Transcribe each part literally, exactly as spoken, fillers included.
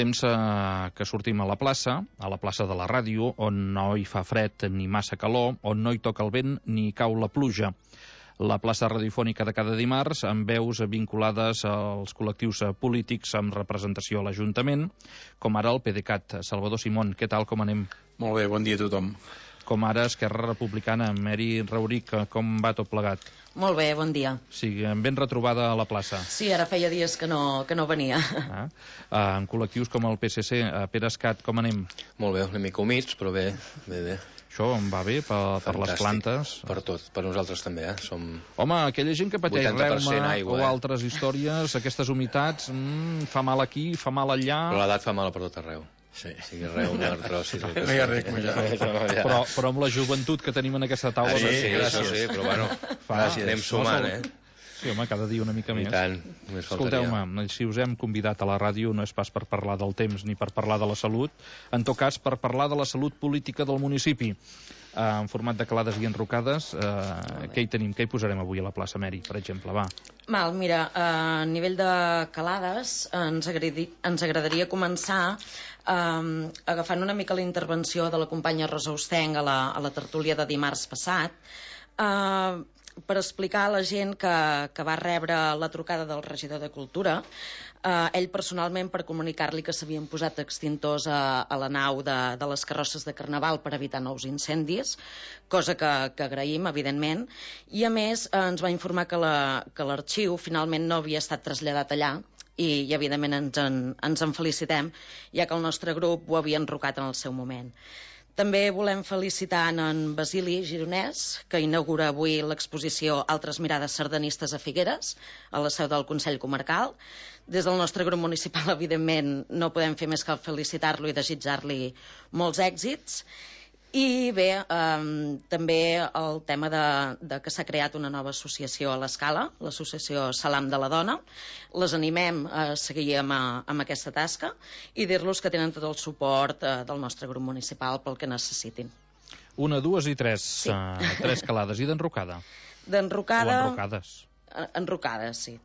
temps eh, que sortim a la plaça, a la plaça de la ràdio, on no hi fa fred ni massa calor, on no hi toca el vent ni cau la pluja. La plaça radiofònica de cada dimarts, amb veus vinculades als col·lectius polítics amb representació a l'Ajuntament, com ara el PDeCAT. Salvador Simón, què tal, com anem? Molt bé, bon dia a tothom. Com ara Esquerra Republicana, Mary Rauric, com va tot plegat? Molt bé, bon dia. Sí, ben retrobada a la plaça. Sí, ara feia dies que no, que no venia. Ah, ah, en col·lectius com el P S C, a Pere Escat, com anem? Molt bé, una mica humits, però bé, bé, bé. Això em va bé per, per les plantes? Per tot, per nosaltres també, eh? Som... Home, aquella gent que pateix reuma aigua, o eh? altres històries, aquestes humitats, mm, fa mal aquí, fa mal allà... Però l'edat fa mal per tot arreu. Sí, sí, reuma, artrosis... No hi ha res com allà. Però, però amb la joventut que tenim en aquesta taula... Ah, sí, sí, gràcies. Sí, però bueno, fa, anem sumant, eh? Sí, home, cada dia una mica més. I tant, només faltaria. Escolteu-me, si us hem convidat a la ràdio no és pas per parlar del temps ni per parlar de la salut, en tot cas per parlar de la salut política del municipi. Uh, en format de calades i enrocades, uh, què hi tenim? Què hi posarem avui a la plaça Mary, per exemple? Va. Mal, mira, a nivell de calades ens, agradi, ens agradaria començar um, agafant una mica la intervenció de la companya Rosa Ostenc a la, a la tertúlia de dimarts passat, uh, per explicar a la gent que, que va rebre la trucada del regidor de Cultura, eh, ell personalment, per comunicar-li que s'havien posat extintors a, a la nau de, de les carrosses de Carnaval per evitar nous incendis, cosa que, que agraïm, evidentment, i a més eh, ens va informar que la, que l'arxiu finalment no havia estat traslladat allà, i, i evidentment ens en, ens en felicitem, ja que el nostre grup ho havia enrocat en el seu moment. També volem felicitar en Basili Gironès, que inaugura avui l'exposició Altres mirades sardanistes a Figueres, a la seu del Consell Comarcal. Des del nostre grup municipal, evidentment, no podem fer més que felicitar-lo i desitjar-li molts èxits. I bé, eh, també el tema de, de que s'ha creat una nova associació a l'Escala, l'associació Salam de la Dona. Les animem a seguir amb, amb aquesta tasca i dir-los que tenen tot el suport eh, del nostre grup municipal pel que necessitin. Una, dues i tres. Sí. Uh, tres calades. I d'enrocada? D'enrocada... O enrocades? Enrocades, sí.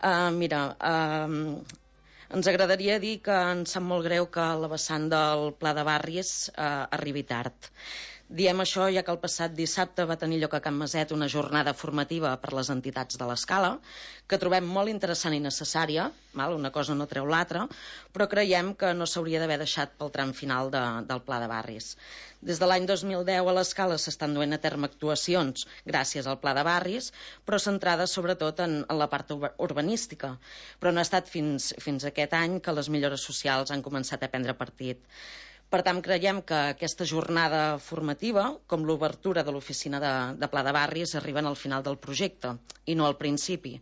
Uh, mira... Uh, Ens agradaria dir que ens sap molt greu que la vessant del Pla de Barris eh, arribi tard. Diem això ja que el passat dissabte va tenir lloc a Can Maset una jornada formativa per les entitats de l'Escala, que trobem molt interessant i necessària, val? Una cosa no treu l'altra, però creiem que no s'hauria d'haver deixat pel tram final de, del Pla de Barris. Des de l'any dos mil deu a l'Escala s'estan duent a terme actuacions gràcies al Pla de Barris, però centrades sobretot en, en la part urbanística. Però no ha estat fins, fins aquest any que les millores socials han començat a prendre partit. Per tant, creiem que aquesta jornada formativa, com l'obertura de l'oficina de, de Pla de Barris, arriben al final del projecte i no al principi.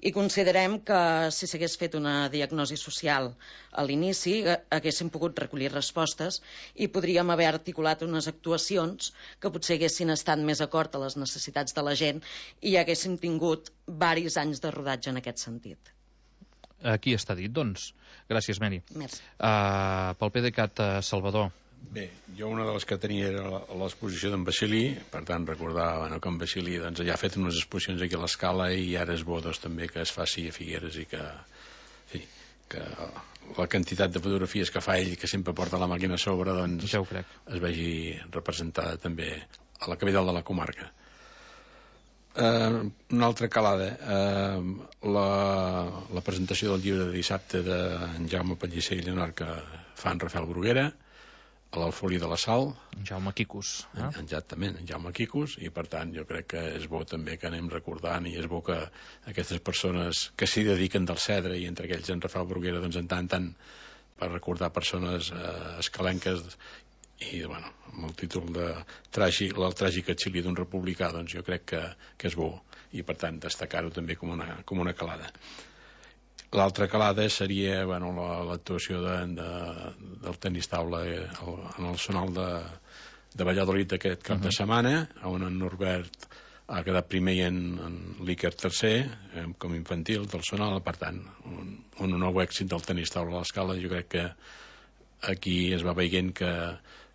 I considerem que si s'hagués fet una diagnosi social a l'inici, haguéssim pogut recollir respostes i podríem haver articulat unes actuacions que potser haguessin estat més acord a les necessitats de la gent i haguéssim tingut varis anys de rodatge en aquest sentit. Aquí està dit, doncs. Gràcies, Mary. Merci. Uh, pel PDeCAT, uh, Salvador. Bé, jo una de les que tenia era l'exposició d'en Basili, per tant recordar bueno, que en Basili doncs, ja ha fet unes exposicions aquí a l'Escala i ara és bo doncs, també que es faci a Figueres i que, sí, que la quantitat de fotografies que fa ell, que sempre porta la màquina a sobre, doncs, ja ho crec, es vegi representada també a la capital de la comarca. Uh, una altra calada, uh, la, la presentació del llibre de dissabte d'en Jaume Pellicer i Lleonard que fa en Rafael Bruguera a l'Alfolí de la Sal, en Jaume Quicus, eh? Exactament, en Jaume Quicus, i per tant jo crec que és bo també que anem recordant i és bo que aquestes persones que s'hi dediquen del Cedre i entre aquells en Rafael Bruguera doncs en tant tant per recordar persones uh, escalenques i bueno, amb el títol de tràgic, el tràgic exili d'un republicà, doncs jo crec que, que és bo i per tant destacar-ho també com una, com una calada. L'altra calada seria bueno, l'actuació de, de, del tenis taula en el sonal de, de Valladolid aquest cap uh -huh. de setmana, on en Norbert ha quedat primer i en, en l'Iker tercer eh, com infantil del sonal, per tant un, un nou èxit del tenis taula a l'Escala. Jo crec que aquí es va veient que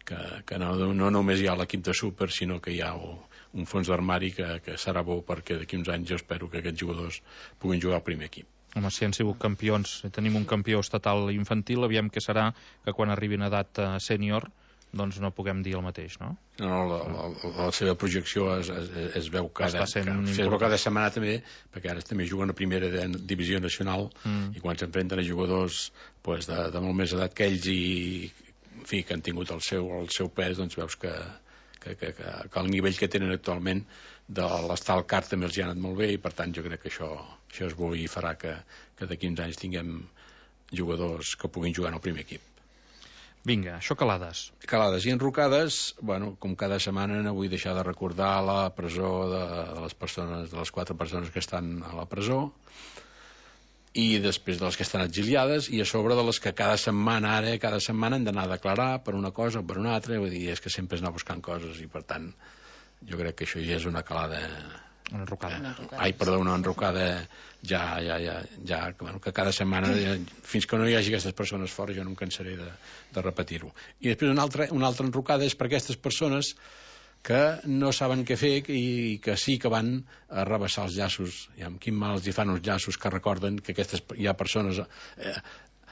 que, que no, no només hi ha l'equip de súper, sinó que hi ha un fons d'armari que, que serà bo perquè d'aquí uns anys jo espero que aquests jugadors puguin jugar al primer equip. Home, si han sigut campions, tenim un campió estatal infantil, aviam què serà que quan arribin a edat uh, sènior doncs no puguem dir el mateix, no? No, no, la, la, la seva projecció es, es, es veu cada, Està sent cada, es veu cada setmana també, perquè ara també juguen a primera de, divisió nacional mm. i quan s'enfrenten a jugadors pues, de, de molt més edat que ells i en fi, que han tingut el seu, el seu pes, doncs veus que, que, que, que, que el nivell que tenen actualment de l'estal car també els hi ha anat molt bé i per tant jo crec que això, això es bo i farà que, que de quinze anys tinguem jugadors que puguin jugar en el primer equip. Vinga, això calades. Calades i enrocades, bueno, com cada setmana no vull deixar de recordar la presó de, de les persones, de les quatre persones que estan a la presó i després de les que estan exiliades i a sobre de les que cada setmana ara, cada setmana han d'anar a declarar per una cosa o per una altra, vull dir, és que sempre es anar buscant coses i per tant jo crec que això ja és una calada. Una enrocada. Una enrocada. Ai, perdó, una enrocada ja, ja, ja, ja bueno, que cada setmana, ja, fins que no hi hagi aquestes persones fora, jo no em cansaré de, de repetir-ho. I després una altra, una altra enrocada és per aquestes persones que no saben què fer i que sí que van a rebaixar els llaços. I amb quin mal els hi fan uns llaços que recorden que aquestes, hi ha persones eh,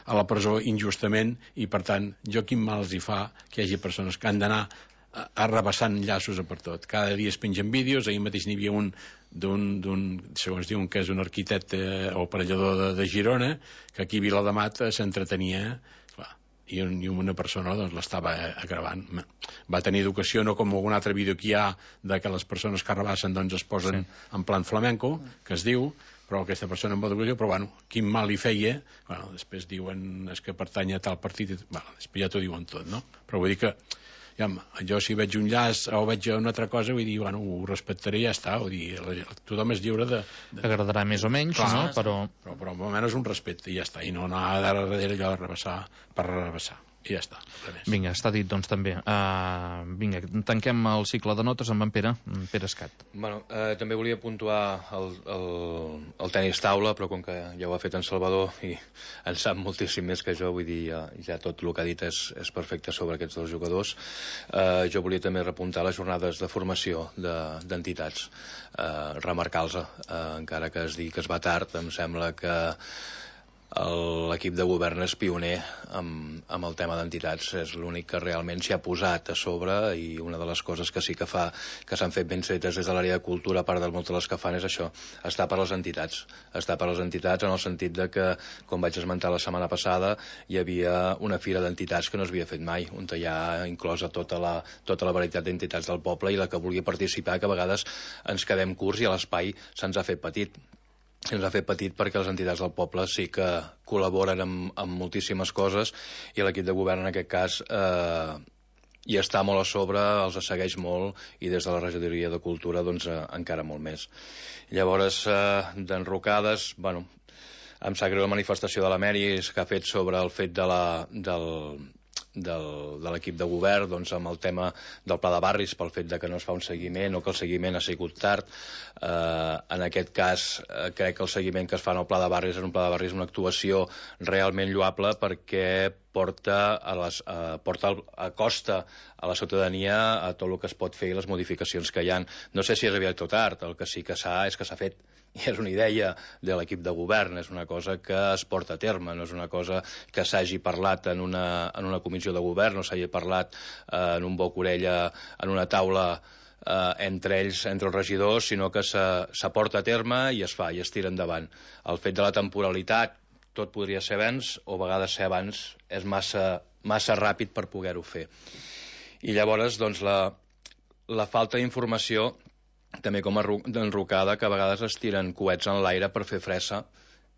a la presó injustament i, per tant, jo quin mal els hi fa que hi hagi persones que han d'anar arrabassant llaços a per tot. Cada dia es pengen vídeos, ahir mateix n'hi havia un d'un, segons diuen que és un arquitecte o aparellador de, de Girona, que aquí a Vilademat s'entretenia, clar, i, un, i una persona doncs l'estava gravant. Va tenir educació, no com algun altre vídeo que hi ha de que les persones que arrabassen doncs es posen sí. en plan flamenco, que es diu, però aquesta persona amb educació, però bueno, quin mal li feia, bueno, després diuen és que pertany a tal partit, bueno, després ja t'ho diuen tot, no? Però vull dir que ja, jo si veig un llaç o veig una altra cosa, vull dir, bueno, ho respectaré i ja està, vull dir, tothom és lliure de... de... Agradarà més o menys, clar, no? Però... però... Però almenys un respecte i ja està, i no anar darrere allò de rebassar per rebassar. I ja està. Vinga, està dit, doncs, també. Uh, vinga, tanquem el cicle de notes amb en Pere, en Pere Escat. Bueno, eh, també volia puntuar el, el, el tenis taula, però com que ja ho ha fet en Salvador i en sap moltíssim més que jo, vull dir, ja, ja tot el que ha dit és, és perfecte sobre aquests dos jugadors. Eh, jo volia també repuntar les jornades de formació d'entitats, de, eh, remarcar-los, eh, encara que es digui que es va tard, em sembla que l'equip de govern és pioner amb, amb el tema d'entitats, és l'únic que realment s'hi ha posat a sobre i una de les coses que sí que fa que s'han fet ben fetes des de l'àrea de cultura, a part de moltes de les que fan, és això, estar per les entitats estar per les entitats en el sentit de que, com vaig esmentar la setmana passada, hi havia una fira d'entitats que no s'havia fet mai, on hi ha inclosa tota la, tota la varietat d'entitats del poble i la que vulgui participar, que a vegades ens quedem curts i l'espai se'ns ha fet petit ens ha fet petit perquè les entitats del poble sí que col·laboren amb, amb moltíssimes coses i l'equip de govern en aquest cas eh, hi està molt a sobre, els segueix molt i des de la regidoria de cultura doncs eh, encara molt més. Llavors eh, d'enrocades, bueno, em sap greu la manifestació de la Meris que ha fet sobre el fet de la, del del, de l'equip de govern doncs, amb el tema del pla de barris pel fet de que no es fa un seguiment o que el seguiment ha sigut tard. Eh, en aquest cas eh, crec que el seguiment que es fa en el pla de barris és un pla de barris, una actuació realment lloable perquè porta a, les, a, porta a costa a la ciutadania a tot el que es pot fer i les modificacions que hi ha. No sé si és aviat o tard, el que sí que s'ha és que s'ha fet. I és una idea de l'equip de govern, és una cosa que es porta a terme, no és una cosa que s'hagi parlat en una, en una comissió de govern, no s'hagi parlat eh, en un boc-orella, en una taula eh, entre ells, entre els regidors, sinó que s'aporta a terme i es fa, i es tira endavant. El fet de la temporalitat, tot podria ser abans, o a vegades ser abans és massa, massa ràpid per poder-ho fer. I llavors, doncs, la, la falta d'informació també com a enrocada, que a vegades es tiren coets en l'aire per fer fressa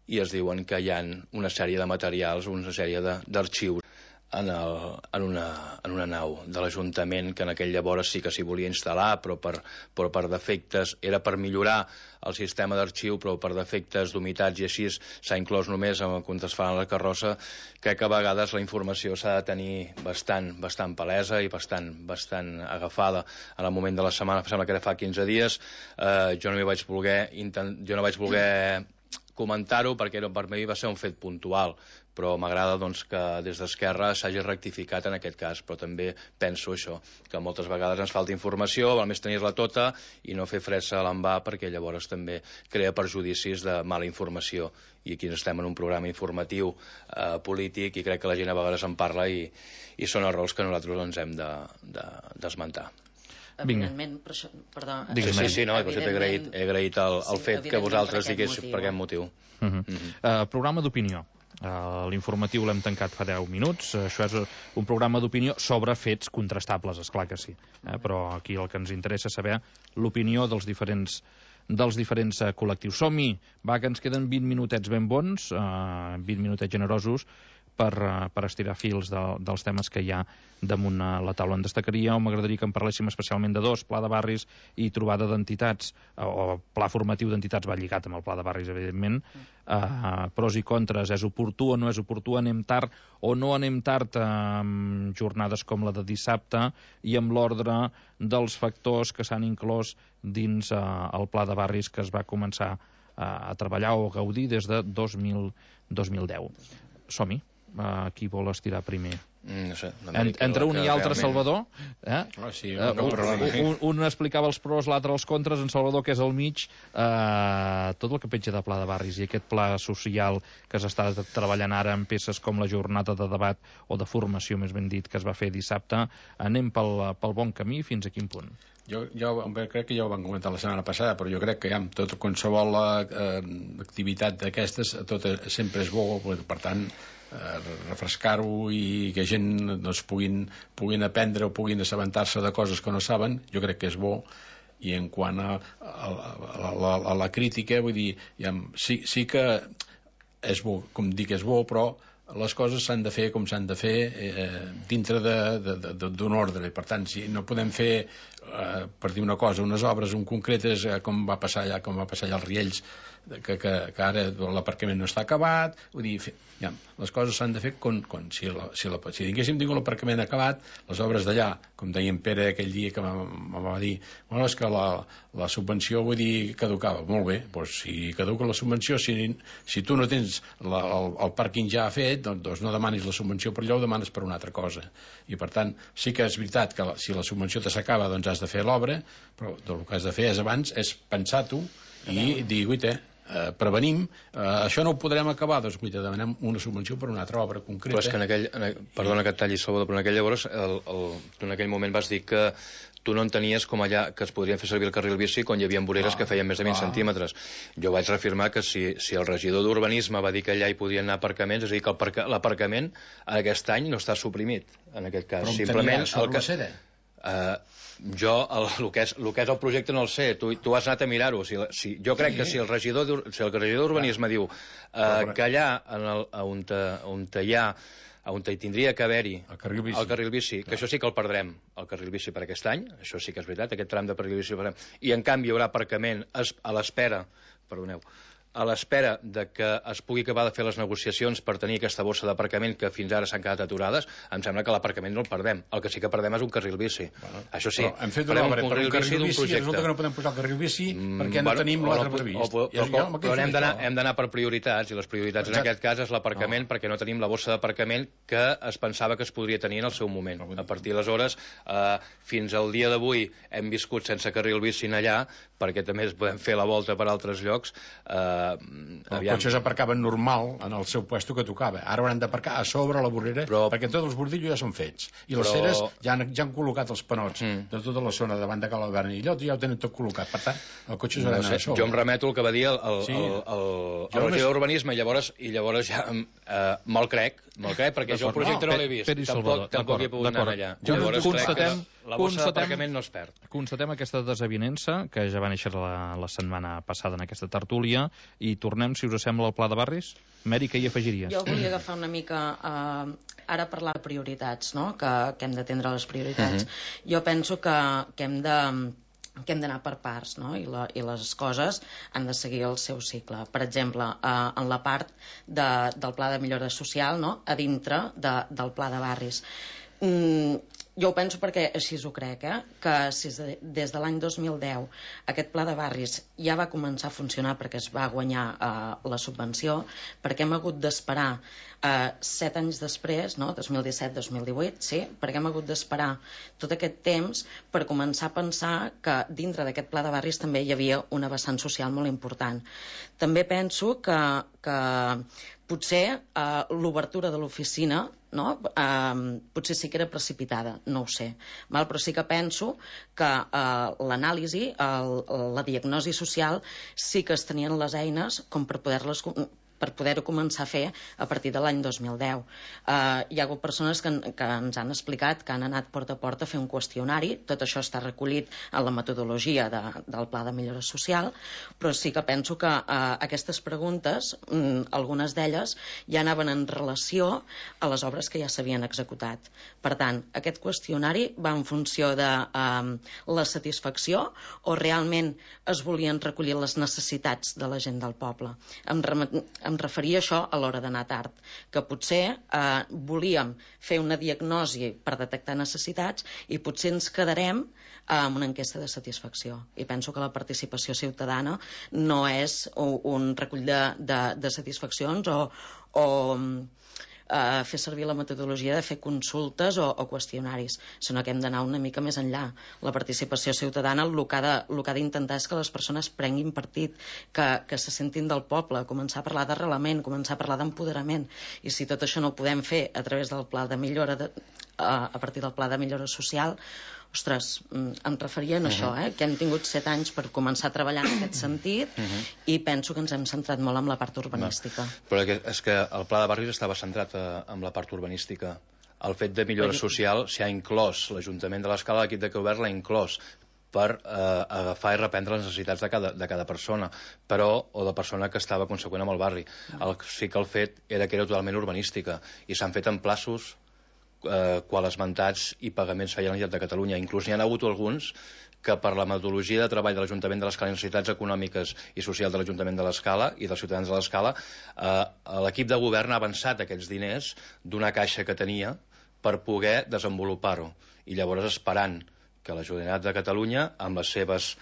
i es diuen que hi ha una sèrie de materials, una sèrie d'arxius en, el, en, una, en una nau de l'Ajuntament que en aquell llavors sí que s'hi volia instal·lar, però per, però per defectes, era per millorar el sistema d'arxiu, però per defectes d'humitats i així s'ha inclòs només quan es fa la carrossa. Crec que a vegades la informació s'ha de tenir bastant, bastant palesa i bastant, bastant agafada. En el moment de la setmana, sembla que era fa quinze dies, eh, jo no m'hi vaig voler, intent, jo no vaig voler comentar-ho perquè no, per mi va ser un fet puntual, però m'agrada doncs, que des d'Esquerra s'hagi rectificat en aquest cas, però també penso això, que moltes vegades ens falta informació, val més tenir-la tota i no fer fressa a l'envà, perquè llavors també crea perjudicis de mala informació, i aquí estem en un programa informatiu eh, polític, i crec que la gent a vegades en parla i, i són errors que nosaltres ens hem d'esmentar. De, de, Evidentment, per això, perdó... Sí, sí, sí, no, he agraït, he agraït el, el sí, fet que vosaltres diguéssiu per aquest motiu. Uh -huh. uh -huh. Uh, programa d'opinió. Uh, L'informatiu l'hem tancat fa deu minuts. Uh, això és un programa d'opinió sobre fets contrastables, és clar que sí. Uh, però aquí el que ens interessa és saber l'opinió dels diferents dels diferents uh, col·lectius. Som-hi! Va, que ens queden vint minutets ben bons, uh, vint minutets generosos, per, uh, per estirar fils de, dels temes que hi ha damunt uh, la taula. En destacaria, o m'agradaria que en parléssim especialment de dos, pla de barris i trobada d'entitats, uh, o pla formatiu d'entitats, va lligat amb el pla de barris, evidentment, uh, pros i contres, és oportú o no és oportú, anem tard o no anem tard amb jornades com la de dissabte, i amb l'ordre dels factors que s'han inclòs dins uh, el pla de barris que es va començar uh, a treballar o a gaudir des de dos mil deu. Som-hi. Uh, qui vol estirar primer? Mm, no sé, en, entre un i altre, realment... Salvador, eh? Oh, sí, uh, un, un, un explicava els pros, l'altre els contres, en Salvador, que és al mig, uh, tot el que penja de pla de barris i aquest pla social que s'està treballant ara en peces com la jornada de debat o de formació, més ben dit, que es va fer dissabte, anem pel, pel bon camí, fins a quin punt? Jo, jo crec que ja ho vam comentar la setmana passada, però jo crec que ja amb tot qualsevol eh, activitat d'aquestes tot sempre és bo, per tant eh, refrescar-ho i que gent doncs, puguin, puguin aprendre o puguin assabentar-se de coses que no saben, jo crec que és bo. I en quant a, a, a, a, a la crítica, vull dir, ja, sí, sí que és bo, com dic, és bo, però les coses s'han de fer com s'han de fer eh, dintre d'un ordre, i per tant si no podem fer eh, per dir una cosa, unes obres un concretes eh, com va passar allà com va passar allà als Riells, que, que, que ara l'aparcament no està acabat, vull dir, ja, les coses s'han de fer com, com si, la, si, la, si tinguéssim tingut l'aparcament acabat, les obres d'allà, com deia en Pere aquell dia que me va dir, bueno, és que la, la subvenció, vull dir, caducava. Molt bé, doncs si caduca la subvenció, si, si tu no tens la, el, el pàrquing ja fet, doncs no demanis la subvenció per allò, ho demanes per una altra cosa. I per tant, sí que és veritat que la, si la subvenció te s'acaba, doncs has de fer l'obra, però el que has de fer és abans és pensar-t'ho i dir, guaita, eh, prevenim, eh, això no ho podrem acabar, doncs guaita, demanem una subvenció per una altra obra concreta. Però és que en aquell, en, perdona que et talli, Salvador, però en aquell llavors, el, el, tu en aquell moment vas dir que tu no entenies com allà que es podrien fer servir el carril bici quan hi havia voreres ah, que feien més de vint ah. centímetres. Jo vaig reafirmar que si, si el regidor d'Urbanisme va dir que allà hi podien anar aparcaments, és a dir, que l'aparcament aquest any no està suprimit, en aquest cas. Però simplement tenia sobre el que, la cera? Uh, jo, el, el, que és, el que és el projecte no el sé, tu, tu has anat a mirar-ho. Si, si, jo crec sí. que si el regidor, si el regidor d'Urbanisme diu uh, que allà en el, on, te, on te hi ha on hi tindria que haver-hi el carril bici, el carril bici que això sí que el perdrem, el carril bici per aquest any, això sí que és veritat, aquest tram de carril bici el perdrem, i en canvi hi haurà aparcament a l'espera, perdoneu, a l'espera de que es pugui acabar de fer les negociacions per tenir aquesta bossa d'aparcament que fins ara s'han quedat aturades, em sembla que l'aparcament no el perdem. El que sí que perdem és un carril bici. Bueno, això sí, hem fet una obra per un carril bici i resulta que no podem posar el carril bici perquè no bueno, tenim l'altre previst. O, o, o, però però hem d'anar per prioritats, i les prioritats Exacte. en aquest cas és l'aparcament, no. perquè no tenim la bossa d'aparcament que es pensava que es podria tenir en el seu moment. A partir d'aleshores, eh, fins al dia d'avui hem viscut sense carril bici allà, perquè també podem fer la volta per altres llocs. Eh, els cotxes aparcaven normal en el seu puesto que tocava, ara hauran d'aparcar a sobre la vorrera, però, perquè tots els bordillos ja són fets i les però... ceres ja han, ja han col·locat els panots mm. de tota la zona davant de Cal Albert i allò ja ho tenen tot col·locat, per tant el cotxe s'haurà d'anar a sobre. Jo em remeto al que va dir el, el, sí. el, el, el regidor d'Urbanisme i llavors, i llavors ja eh, me'l crec, me'l crec perquè jo el projecte no, no l'he vist, tampoc, tampoc he pogut anar allà. Llavors crec que la bossa d'aparcament no es perd. Constatem aquesta desavinença que ja va néixer la, la setmana passada en aquesta tertúlia i tornem, si us sembla, al pla de barris. Meri, què hi afegiries? Jo volia agafar una mica eh, ara parlar de prioritats, no? que, que hem d'atendre les prioritats. Uh -huh. Jo penso que, que hem de que hem d'anar per parts, no? I, la, i les coses han de seguir el seu cicle. Per exemple, eh, en la part de, del pla de millora social, no? A dintre de, del pla de barris. Mm, jo ho penso perquè així ho crec, eh? Que si des de l'any dos mil deu aquest pla de barris ja va començar a funcionar perquè es va guanyar eh, la subvenció, perquè hem hagut d'esperar eh, set anys després, no? dos mil disset dos mil divuit, sí? Perquè hem hagut d'esperar tot aquest temps per començar a pensar que dintre d'aquest pla de barris també hi havia una vessant social molt important. També penso que, que potser eh, l'obertura de l'oficina, no? eh, potser sí que era precipitada, no ho sé, val? Però sí que penso que eh, l'anàlisi, la diagnosi social, sí que es tenien les eines com per poder-les per poder-ho començar a fer a partir de l'any dos mil deu. Uh, hi ha hagut persones que, que ens han explicat que han anat porta a porta a fer un qüestionari, tot això està recollit en la metodologia de, del Pla de Millora Social, però sí que penso que uh, aquestes preguntes, um, algunes d'elles, ja anaven en relació a les obres que ja s'havien executat. Per tant, aquest qüestionari va en funció de um, la satisfacció o realment es volien recollir les necessitats de la gent del poble. Em remet em referia a això a l'hora d'anar tard, que potser eh, volíem fer una diagnosi per detectar necessitats i potser ens quedarem eh, amb una enquesta de satisfacció. I penso que la participació ciutadana no és un, un recull de, de, de satisfaccions o, o Uh, fer servir la metodologia de fer consultes o, o qüestionaris, sinó que hem d'anar una mica més enllà. La participació ciutadana el que ha d'intentar és que les persones prenguin partit, que, que se sentin del poble, començar a parlar d'arrelament, començar a parlar d'empoderament, i si tot això no ho podem fer a través del pla de millora de, uh, a partir del pla de millora social, ostres, em referia a uh-huh. això, eh? Que hem tingut set anys per començar a treballar en aquest sentit uh-huh. i penso que ens hem centrat molt en la part urbanística. Va. Però és que el pla de barris estava centrat en la part urbanística. El fet de millora Però... social s'hi ha inclòs, l'Ajuntament de l'Escala, l'equip de govern l'ha inclòs per eh, agafar i reprendre les necessitats de cada, de cada persona, però, o de persona que estava conseqüent amb el barri. El, sí que el fet era que era totalment urbanística i s'han fet en plaços Eh, quan esmentats i pagaments feia la Generalitat de Catalunya. Inclús n'hi ha hagut alguns que per la metodologia de treball de l'Ajuntament de l'Escala i necessitats econòmiques i socials de l'Ajuntament de l'Escala i dels ciutadans de l'Escala, eh, l'equip de govern ha avançat aquests diners d'una caixa que tenia per poder desenvolupar-ho. I llavors esperant que la Generalitat de Catalunya, amb les seves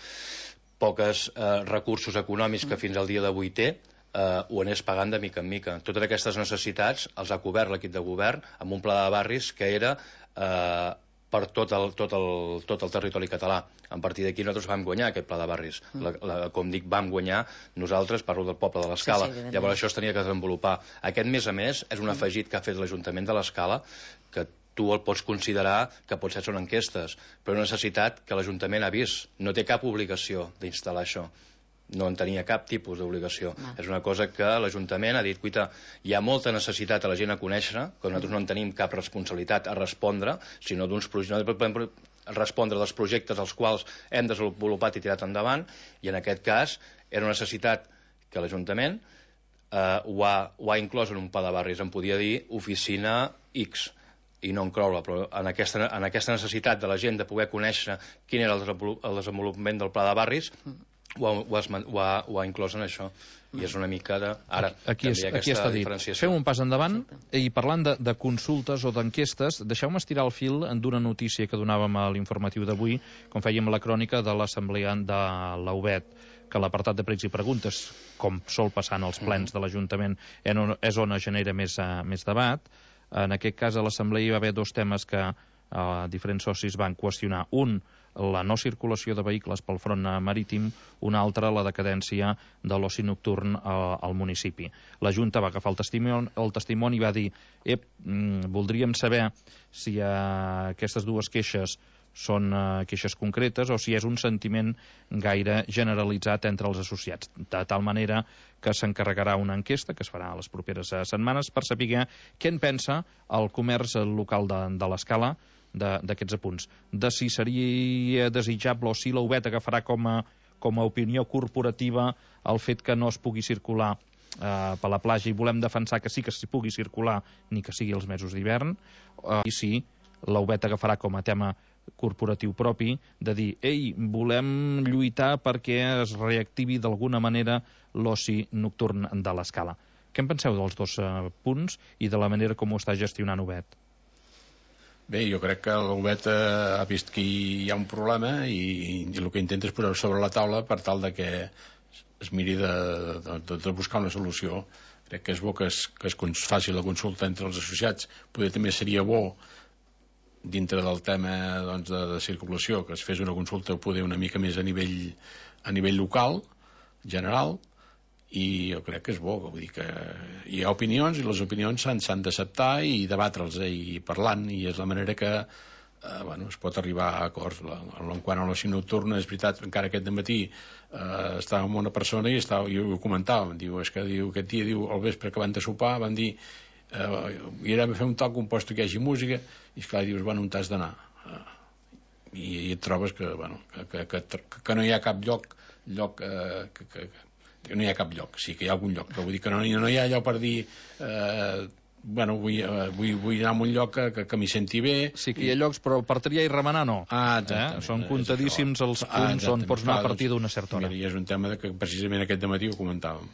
poques eh, recursos econòmics que fins al dia d'avui té, Uh, ho anés pagant de mica en mica. Totes aquestes necessitats els ha cobert l'equip de govern amb un pla de barris que era uh, per tot el, tot, el, tot el territori català. A partir d'aquí nosaltres vam guanyar aquest pla de barris. La, la, com dic, vam guanyar nosaltres, parlo del poble de l'Escala. Sí, sí, llavors això es tenia que desenvolupar. Aquest, més a més, és un afegit que ha fet l'Ajuntament de l'Escala, que tu el pots considerar que potser són enquestes, però una necessitat que l'Ajuntament ha vist. No té cap obligació d'instal·lar això. No en tenia cap tipus d'obligació. Ah. És una cosa que l'Ajuntament ha dit, cuita, hi ha molta necessitat a la gent a conèixer, que nosaltres no en tenim cap responsabilitat a respondre, sinó d'uns projectes, no podem respondre dels projectes als quals hem desenvolupat i tirat endavant, i en aquest cas era una necessitat que l'Ajuntament eh, ho, ha, ho ha inclòs en un pla de barris, en podia dir oficina X, i no incloure, però en aquesta, en aquesta necessitat de la gent de poder conèixer quin era el desenvolupament del pla de barris, Ho ha, ho, ha, ho, ha, ho ha inclòs en això i és una mica de... Ara, aquí, és, aquí està dit. Fem un pas endavant i parlant de, de consultes o d'enquestes, deixeu-me estirar el fil d'una notícia que donàvem a l'informatiu d'avui, com fèiem la crònica de l'assemblea de l'U B E T, que l'apartat de pregs i preguntes, com sol passar en els plens de l'Ajuntament, és on es genera més, uh, més debat. En aquest cas, a l'assemblea hi va haver dos temes que uh, diferents socis van qüestionar. Un, la no circulació de vehicles pel front marítim, una altra, la decadència de l'oci nocturn al, al municipi. La Junta va agafar el testimoni, el testimoni i va dir ep, mm, voldríem saber si eh, aquestes dues queixes són eh, queixes concretes o si és un sentiment gaire generalitzat entre els associats, de tal manera que s'encarregarà una enquesta que es farà a les properes eh, setmanes per saber què en pensa el comerç local de, de l'Escala d'aquests apunts, de si seria desitjable o si l'U B E T agafarà com a, com a opinió corporativa el fet que no es pugui circular eh, per la platja i volem defensar que sí que s'hi pugui circular ni que sigui els mesos d'hivern, eh, i si l'U B E T agafarà com a tema corporatiu propi de dir, ei, volem lluitar perquè es reactivi d'alguna manera l'oci nocturn de l'Escala. Què en penseu dels dos eh, punts i de la manera com ho està gestionant U B E T? Bé, jo crec que l'Obet ha vist que hi ha un problema i, i el que intenta és posar sobre la taula per tal de que es miri de, de, de, de buscar una solució. Crec que és bo que es, que es faci la consulta entre els associats. Poder també seria bo, dintre del tema doncs, de, de circulació, que es fes una consulta poder una mica més a nivell, a nivell local, general, i jo crec que és bo, vull dir que hi ha opinions i les opinions s'han d'acceptar i debatre'ls eh, i parlant, i és la manera que eh, bueno, es pot arribar a acords. La, en quant a l'oci nocturna, és veritat, encara aquest dematí eh, estava amb una persona i, estava, i ho comentàvem, diu, és que diu, aquest dia diu, al vespre que van de sopar van dir Uh, i era fer un toc compost que hi hagi música, i esclar, dius, bueno, on t'has d'anar? Uh, i, i et trobes que, bueno, que, que, que, que no hi ha cap lloc, lloc uh, que, que, que no hi ha cap lloc, sí que hi ha algun lloc, però vull dir que no, no hi ha allò per dir uh, bueno, vull, uh, vull, vull anar a un lloc que, que, que m'hi senti bé. Sí que hi ha llocs, però per triar i remenar no. Ah, exactament. Eh? Són comptadíssims els punts ah, on pots anar a partir d'una certa hora. I és un tema de que precisament aquest dematí ho comentàvem.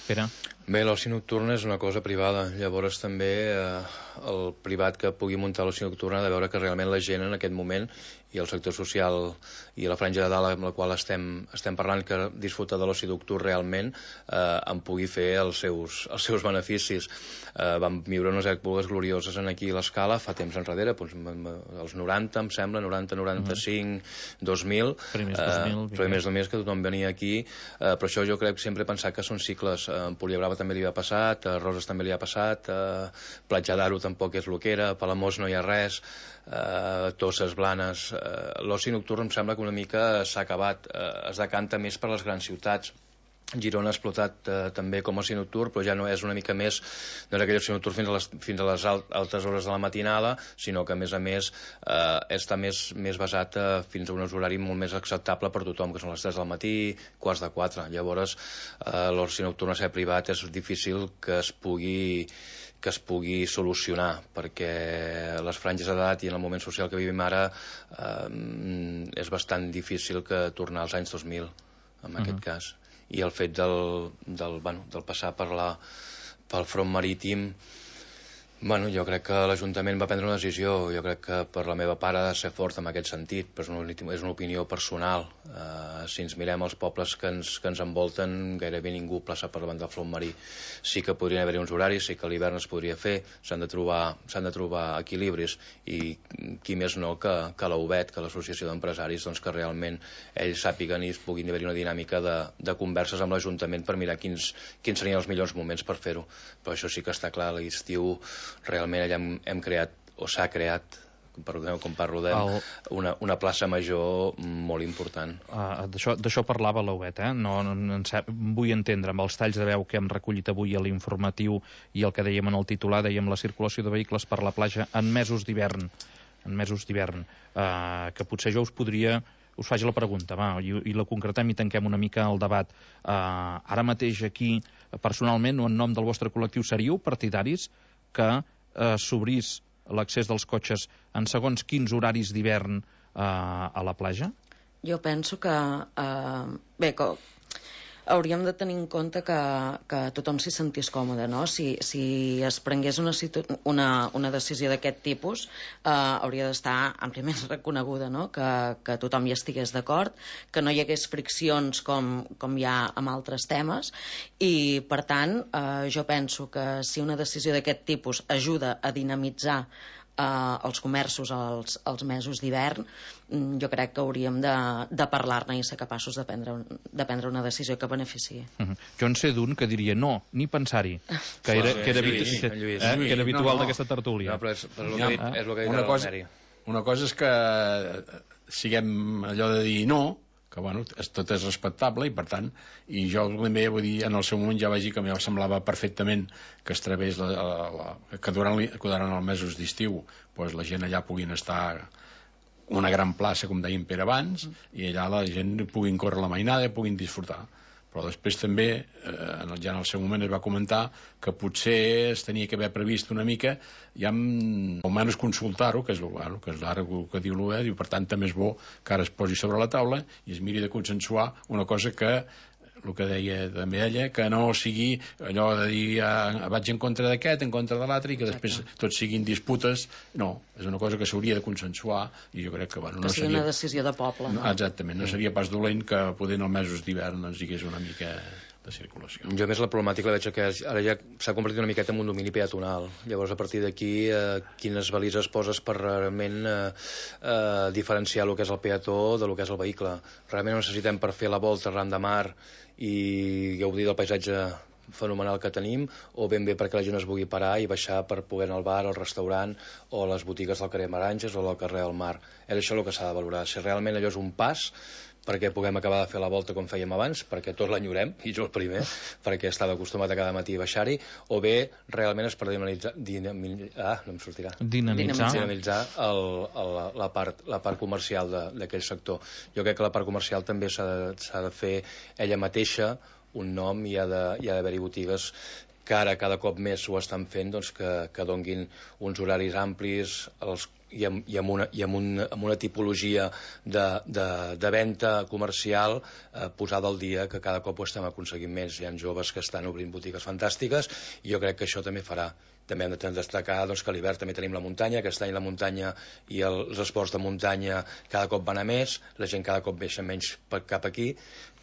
Pere? Bé, l'oci nocturn és una cosa privada, llavors també eh, el privat que pugui muntar l'oci nocturn ha de veure que realment la gent en aquest moment i el sector social i la franja de dalt amb la qual estem, estem parlant, que disfruta de l'oci nocturn realment, eh, en pugui fer els seus, els seus beneficis. Eh, vam viure unes èpoques glorioses en aquí a l'Escala fa temps enrere, doncs, els noranta, em sembla, noranta, noranta-cinc, mm-hmm. dos mil, primers dos mil, eh, primers dos mil que tothom venia aquí, eh, però això jo crec sempre he pensat que són cicles. Eh, en Poliabrava també li ha passat, a Roses també li ha passat, a Platja d'Aro tampoc és el que era, a Palamós no hi ha res, a Tosses, Blanes. Eh, l'oci nocturn em sembla que una mica s'ha acabat, eh, es decanta més per les grans ciutats. Girona ha explotat eh, també com a oci nocturn, però ja no és una mica més no és aquell oci nocturn fins a les, fins a les altes hores de la matinada, sinó que a més a més eh, està més, més basat eh, fins a un horari molt més acceptable per tothom, que són les tres del matí, quarts de quatre. Llavors eh, l'oci nocturn a ser privat és difícil que es pugui que es pugui solucionar, perquè les franges d'edat i en el moment social que vivim ara eh, és bastant difícil que tornar als anys dos mil en uh-huh. aquest cas. I el fet del, del, bueno, del passar per la, pel front marítim, bueno, jo crec que l'Ajuntament va prendre una decisió. Jo crec que per la meva part ha de ser fort en aquest sentit, però és una, és una opinió personal. Uh, si ens mirem els pobles que ens, que ens envolten, gairebé ningú plaça per davant del front marí. Sí que podrien haver-hi uns horaris, sí que a l'hivern es podria fer, s'han de trobar, s'han de trobar equilibris, i qui més no que, que la U B E T, que l'Associació d'Empresaris, doncs que realment ells sàpiguen i puguin haver-hi una dinàmica de, de converses amb l'Ajuntament per mirar quins, quins serien els millors moments per fer-ho. Però això sí que està clar, a l'estiu realment allà hem, hem creat, o s'ha creat, perdoneu com parlo de, el... una, una plaça major molt important. Uh, D'això parlava l'U B E T, eh? No, no, no vull entendre, amb els talls de veu que hem recollit avui a l'informatiu i el que dèiem en el titular, dèiem la circulació de vehicles per la platja en mesos d'hivern, en mesos d'hivern, uh, que potser jo us podria... us faig la pregunta, va, i, i la concretem i tanquem una mica el debat. Uh, ara mateix aquí, personalment, o en nom del vostre col·lectiu, seríeu partidaris que eh, s'obrís l'accés dels cotxes en segons quins horaris d'hivern eh, a la platja? Jo penso que... Eh, bé, que hauríem de tenir en compte que, que tothom s'hi sentís còmode, no? Si, si es prengués una, una, una decisió d'aquest tipus, eh, hauria d'estar àmpliament reconeguda, no? Que, que tothom hi estigués d'acord, que no hi hagués friccions com, com hi ha amb altres temes, i, per tant, eh, jo penso que si una decisió d'aquest tipus ajuda a dinamitzar eh, els comerços als, als mesos d'hivern, jo crec que hauríem de, de parlar-ne i ser capaços de prendre, de prendre una decisió que beneficiï. Uh-huh. Jo en sé d'un que diria no, ni pensar-hi, que era, que era, Lluís, que, Lluís, eh, que era habitual no, no. d'aquesta tertúlia. No, però és, però és, el, que, és el que ha dit una cosa, una cosa és que siguem allò de dir no, que bueno, tot és respectable i per tant, i jo també vull dir, en el seu moment ja vaig dir que em semblava perfectament que es través la, la, la, que durant, que durant els mesos d'estiu pues, la gent allà puguin estar una gran plaça, com deien per abans, i allà la gent puguin córrer la mainada i puguin disfrutar. Però després també, eh, ja en el seu moment es va comentar que potser es tenia que haver previst una mica, ja almenys consultar-ho, que és, bueno, que és ara el que diu l'U B E, i per tant també és bo que ara es posi sobre la taula i es miri de consensuar una cosa que el que deia també ella, que no sigui allò de dir ah, vaig en contra d'aquest, en contra de l'altre, i que després tots siguin disputes. No, és una cosa que s'hauria de consensuar, i jo crec que, bueno, no que sigui seria... una decisió de poble. No, exactament, no seria pas dolent que poder en els mesos d'hivern doncs, hi hagués una mica de circulació. Jo més la problemàtica la veig que ara ja s'ha convertit una miqueta en un domini peatonal. Llavors, a partir d'aquí, eh, quines balises poses per realment eh, eh, diferenciar el que és el peató de lo que és el vehicle. Realment ho necessitem per fer la volta arran de mar i gaudir del paisatge fenomenal que tenim, o ben bé perquè la gent es vulgui parar i baixar per poder anar al bar, al restaurant o a les botigues del carrer Maranges o del carrer del Mar. És això el que s'ha de valorar. Si realment allò és un pas perquè puguem acabar de fer la volta com fèiem abans, perquè tots l'enyorem, i jo el primer, perquè estava acostumat a cada matí a baixar-hi, o bé realment és per dinamitzar, dinamitzar, ah, no em sortirà, dinamitzar, dinamitzar el, el, la, part, la part comercial d'aquell sector. Jo crec que la part comercial també s'ha de, s'ha de fer ella mateixa un nom, i ha d'haver-hi botigues que ara cada cop més ho estan fent, doncs que, que donguin uns horaris amplis els i amb, i amb, una, i amb, un, amb una tipologia de, de, de venda comercial eh, posada al dia, que cada cop ho estem aconseguint més. Hi ha joves que estan obrint botigues fantàstiques, i jo crec que això també farà. També hem de destacar doncs, que a l'hivern també tenim la muntanya, aquest any la muntanya i els esports de muntanya cada cop van a més, la gent cada cop baixa menys cap aquí.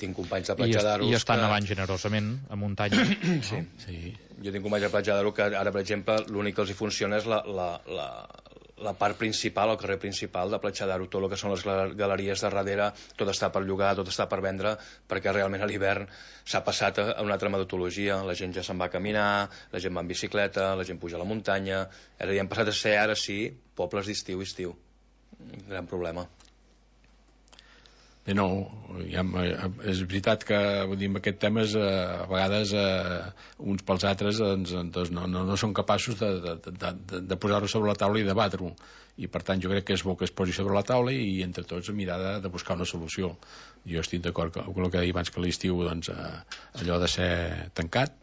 Tinc companys de Platja d'Aro i estan que... avant generosament a muntanya. Sí. Sí. Jo tinc companys de Platja d'Aro que ara, per exemple, l'únic que els hi funciona és la, la, la, la part principal, el carrer principal de Platja d'Aro. Tot el que són les galeries de darrere, tot està per llogar, tot està per vendre, perquè realment a l'hivern s'ha passat a una altra metodologia. La gent ja se'n va a caminar, la gent va en bicicleta, la gent puja a la muntanya. Ara ja hem passat a ser, ara sí, pobles d'estiu, estiu. Un gran problema. Bé, no, ja, és veritat que vull dir, amb aquest tema és, a vegades eh, uns pels altres doncs, doncs no, no, no són capaços de, de, de, de, de posar-ho sobre la taula i debatre-ho, i per tant jo crec que és bo que es posi sobre la taula i entre tots mirar de, de buscar una solució. Jo estic d'acord amb el que deia abans, que l'estiu doncs, eh, allò de ser tancat,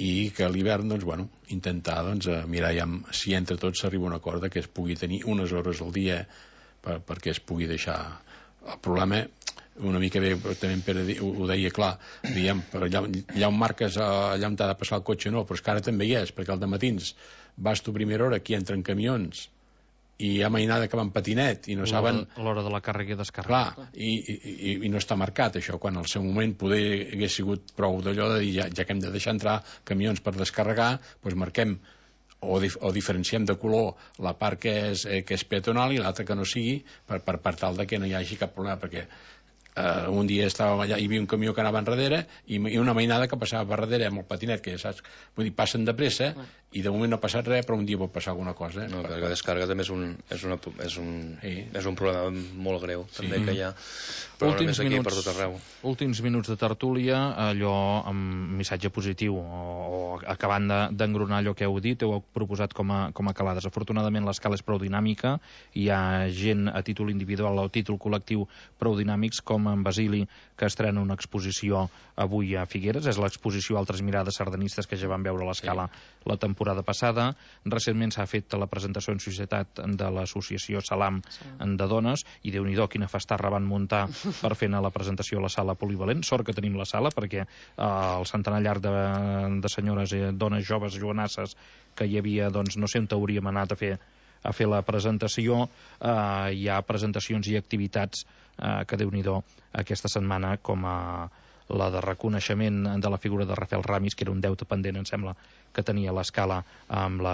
i que a l'hivern doncs, bueno, intentar doncs, mirar ja si entre tots s'arriba a un acord que es pugui tenir unes hores al dia per, perquè es pugui deixar. El problema, una mica bé, també en Pere ho, ho deia clar, diguem, per allà, allà on marques, allà on t'ha de passar el cotxe no, però és que ara també hi és, perquè al dematins vas tu a primera hora, aquí entren camions i hi ha mainada que va en patinet i no saben... A l'hora de la càrrega i descàrrega. Clar, i, i, i no està marcat això, quan al seu moment poder hagués sigut prou d'allò de dir ja, ja que hem de deixar entrar camions per descarregar, doncs marquem O, dif o diferenciem de color la part que és, eh, que és peatonal i l'altra que no sigui, per, per, per tal de que no hi hagi cap problema, perquè eh, un dia estàvem allà, hi havia un camió que anava enrere i, i una mainada que passava per darrere amb el patinet, que ja saps, vull dir, passen de pressa i de moment no ha passat res, però un dia pot passar alguna cosa. Eh? No, perquè la descàrrega també és un, és una, és un, sí. és un problema molt greu, sí. també, que hi ha, però últims només aquí minuts, per tot arreu. Últims minuts de tertúlia, allò amb missatge positiu, o, o acabant d'engronar allò que heu dit, heu proposat com a, com a calades. Afortunadament l'escala és prou dinàmica, hi ha gent a títol individual o a títol col·lectiu prou dinàmics, com en Basili, que estrena una exposició avui a Figueres, és l'exposició Altres mirades sardanistes que ja van veure a l'escala sí. la temporada passada. Recentment s'ha fet la presentació en societat de l'associació Salam sí. de dones, i Déu-n'hi-do quina festarra van muntar per fer la presentació a la sala polivalent. Sort que tenim la sala, perquè eh, el centenar llarg de, de senyores i dones joves jovenasses que hi havia, doncs no sé on hauríem anat a fer a fer la presentació, eh, hi ha presentacions i activitats eh, que Déu-n'hi-do aquesta setmana, com a la de reconeixement de la figura de Rafael Ramis, que era un deute pendent, em sembla, que tenia l'escala amb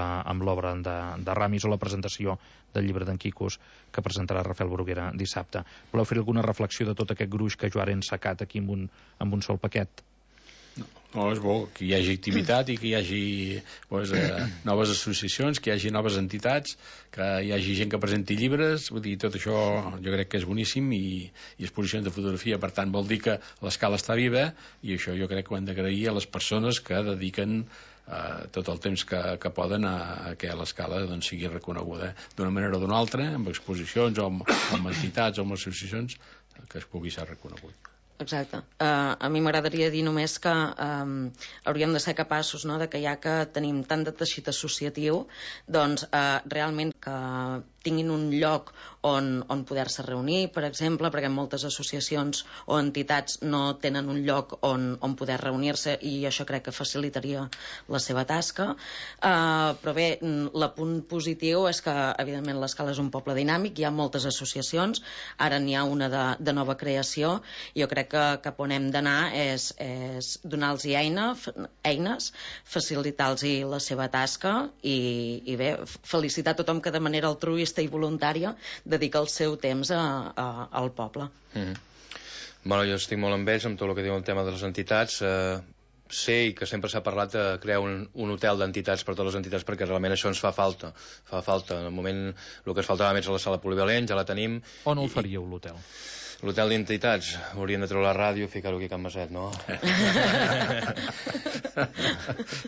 l'obra de, de Ramis, o la presentació del llibre d'en Quicos que presentarà Rafael Bruguera dissabte. Voleu fer alguna reflexió de tot aquest gruix que jo ara he ensacat aquí amb un, amb un sol paquet? No, no, és bo que hi hagi activitat i que hi hagi pues, eh, noves associacions, que hi hagi noves entitats, que hi hagi gent que presenti llibres, vull dir, tot això jo crec que és boníssim, i, i exposicions de fotografia, per tant vol dir que l'escala està viva, i això jo crec que ho hem d'agrair a les persones que dediquen eh, tot el temps que, que poden a, a que l'escala doncs, sigui reconeguda d'una manera o d'una altra, amb exposicions o amb, amb entitats o amb associacions, que es pugui ser reconegut. Exacte. Uh, a mi m'agradaria dir només que um, hauríem de ser capaços, no?, de que ja que tenim tant de teixit associatiu, doncs uh, realment que tinguin un lloc on, on poder-se reunir, per exemple, perquè moltes associacions o entitats no tenen un lloc on, on poder reunir-se i això crec que facilitaria la seva tasca. Uh, però bé, l'apunt positiu és que, evidentment, l'Escala és un poble dinàmic, hi ha moltes associacions, ara n'hi ha una de, de nova creació, i jo crec que cap on hem d'anar és, és donar-los eina, eines, facilitar-los la seva tasca i, i bé, felicitar tothom que de manera altruista i voluntària dedica el seu temps a, a, al poble. Mm-hmm. Bueno, jo estic molt amb ells amb tot el que diu el tema de les entitats. Eh, sé que sempre s'ha parlat de crear un, un hotel d'entitats per totes les entitats, perquè realment això ens fa falta. Fa falta. En el moment el que ens faltava més a la sala polivalent, ja la tenim. On el faríeu, l'hotel? L'hotel d'entitats, hauríem de treure la ràdio i ficar-ho aquí a Can Maset, no?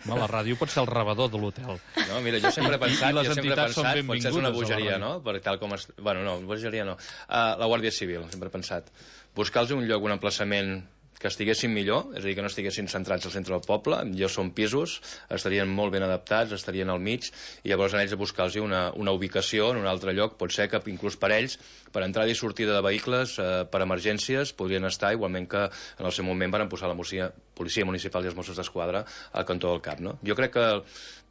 No, la ràdio pot ser el rebedor de l'hotel. No, mira, jo sempre he pensat, I, i jo sempre he pensat, potser és una a bogeria, no? Per tal com es... Bueno, no, bogeria no. Uh, la Guàrdia Civil, sempre he pensat. Buscar-los un lloc, un emplaçament que estiguessin millor, és a dir, que no estiguessin centrats al centre del poble, ja són pisos, estarien molt ben adaptats, estarien al mig, i llavors en ells a buscar-los una, una ubicació en un altre lloc, pot ser que inclús per ells, per entrada i sortida de vehicles, eh, per emergències, podrien estar, igualment que en el seu moment van posar la policia, policia municipal i els Mossos d'Esquadra al cantó del Cap, no? Jo crec que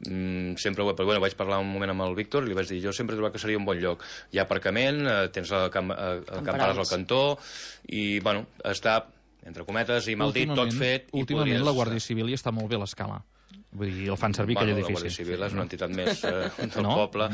mm, sempre ho he... Però, bueno, vaig parlar un moment amb el Víctor i li vaig dir, jo sempre he trobat que seria un bon lloc. Hi ha aparcament, eh, tens el camp, eh, el camparàs al cantó, i, bueno, està... entre cometes i mal dit, tot fet... Últimament podries... la Guàrdia Civil hi està molt bé a l'Escala. Vull dir, el fan servir bueno, aquell edifici. La Guàrdia Civil és una entitat més eh, del no? poble.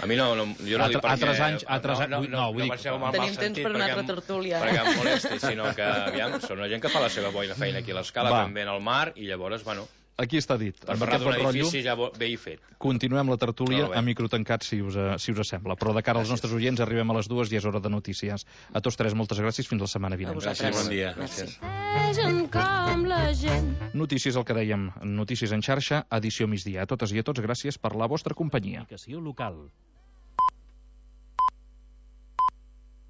A mi no, no jo no Altre, dic perquè... Altres anys... Altres no, no, no, no, vull no, dir... no mal Tenim temps per una altra tertúlia. Perquè em molesti, sinó que, aviam, són una gent que fa la seva boina feina aquí a l'Escala, també en el mar, i llavors, bueno... Aquí està dit. Per parlar d'un edifici ja bé i fet. Continuem la tertúlia no, a micro tancat, si us, si us sembla. Però de cara als nostres oients arribem a les dues i és hora de notícies. A tots tres, moltes gràcies. Fins la setmana vinent. Gràcies, bon dia. Gràcies. Notícies, el que dèiem. Notícies en xarxa, edició migdia. A totes i a tots, gràcies per la vostra companyia. Comunicació local.